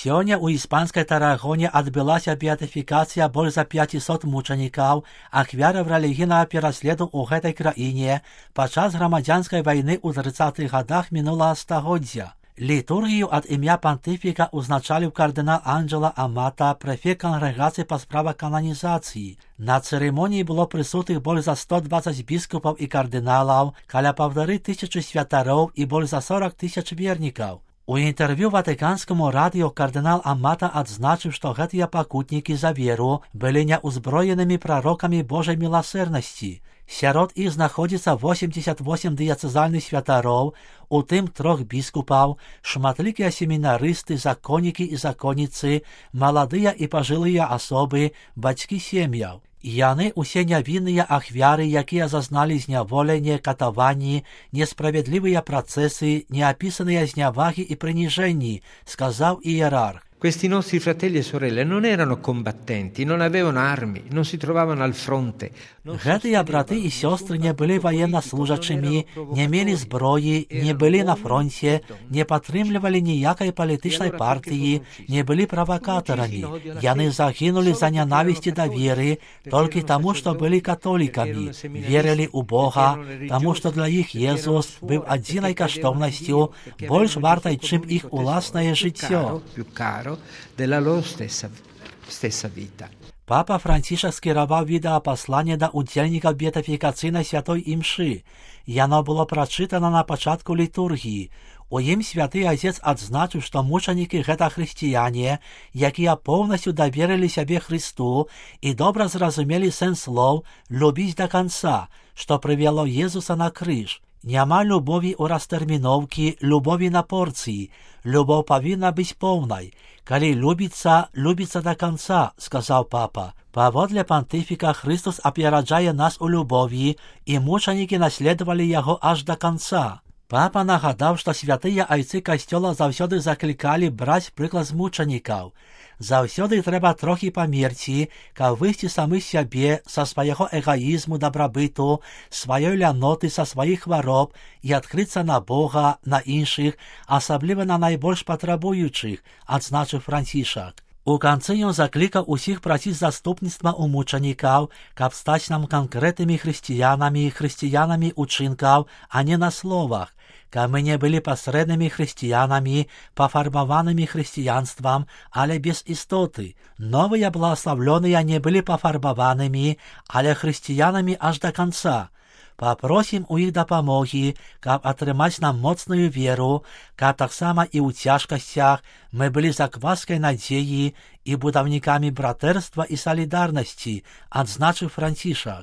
Сёння ў іспанскай Тарагоне адбылася беатыфікацыя больш за 500 мучанікаў, ахвяраў рэлігійнага пераследу ў гэтай краіне падчас грамадзянскай вайны ў 30-х гадах мінулага стагоддзя. Літургію ад імя пантыфіка узначаліў кардынал Анджела Амата, прэфект кангрэгацыі па справах кананізацыі. На цырымоніі было прысутных больш за 120 біскупаў і кардыналаў, каля 1500 святароў і больш за 40 000 вернікаў. У інтэрв'ю ватыканскаму радыё кардынал Амата адзначыў, што гэтыя пакутнікі за веру былі няўзброенымі прарокамі Божай міласэрнасці. Сярод іх знаходзіцца 88 дыяцэзальных святароў, у тым 3 біскупаў, шматлікія семінарысты, законнікі і законніцы, маладыя і пажылыя асобы, бацькі сем'яў. Яны усе нявінныя ахвяры, якія зазналі зняволенне, катаванні, несправядлівыя працэсы, неапісаныя знявагі і прыніжэнні, сказаў іерарх. Questi nostri fratelli e sorelle non erano combattenti, non avevano armi, non si trovavano al fronte. Гэтыя браты і сёстры не былі ваеннаслужачымі, не мелі зброі, не былі на фронте, не падтрымлівалі ніякай палітычнай партыі, не былі правакатарамі. Яны загінулі за нянавісці да веры толькі таму, што былі католікамі, верылі ў Бога, таму што для іх Езус быў адзінай каштоўнасцю, больш вартай, чым іх уласнае жыццё. Della loro stessa vita. Папа Францішак скіраваў відэапасланне да ўдзельнікаў беатыфікацыйнай святой імшы. Яно было прачытана на пачатку літургіі. У ім святы Азец адзначыў, што мучанікі гэта хрысціяне, якія поўнасцю даверылі сябе Хрысту і добра зразумелі сэнс слоў «любіць да канца», што прывяло Езуса на крыж. Няма любові ў растэрміноўкі, любові на порцыі. Любоў павінна быць поўнай. Калі любіцца, любіцца да канца, сказаў папа. Паводле пантыфіка Хрыстус апераджае нас у любові, і мучанікі наследавалі яго аж да канца. Папа нагадаў, што святыя айцы касцёла заўсёды заклікалі браць прыклад з мучанікаў. Заўсёды трэба трохі памерці, каб выйсці самы сябе са свайго эгаізму, дабрабыту, сваёй ляноты, са сваіх хвароб і адкрыцца на Бога, на іншых, асабліва на найбольш патрабуючых, адзначыў Францішак. У канцы ён заклікаў усіх прасіць заступніцтва ў мучанікаў, каб стаць нам канкрэтнымі хрысціянамі учынкаў, а не на словах, каб мы не былі пасрэднымі хрысціянамі, пафарбаванымі хрысціянствам, але без істоты. Новыя благаславлёныя не былі пафарбаванымі, але хрысціянамі аж да канца. Папросім у іх дапамогі, каб атрымаць нам моцную веру, каб таксама і ў цяжкасцях мы былі закваскай надзеі і будаўнікамі братэрства і салідарнасці, адзначыў Францішак.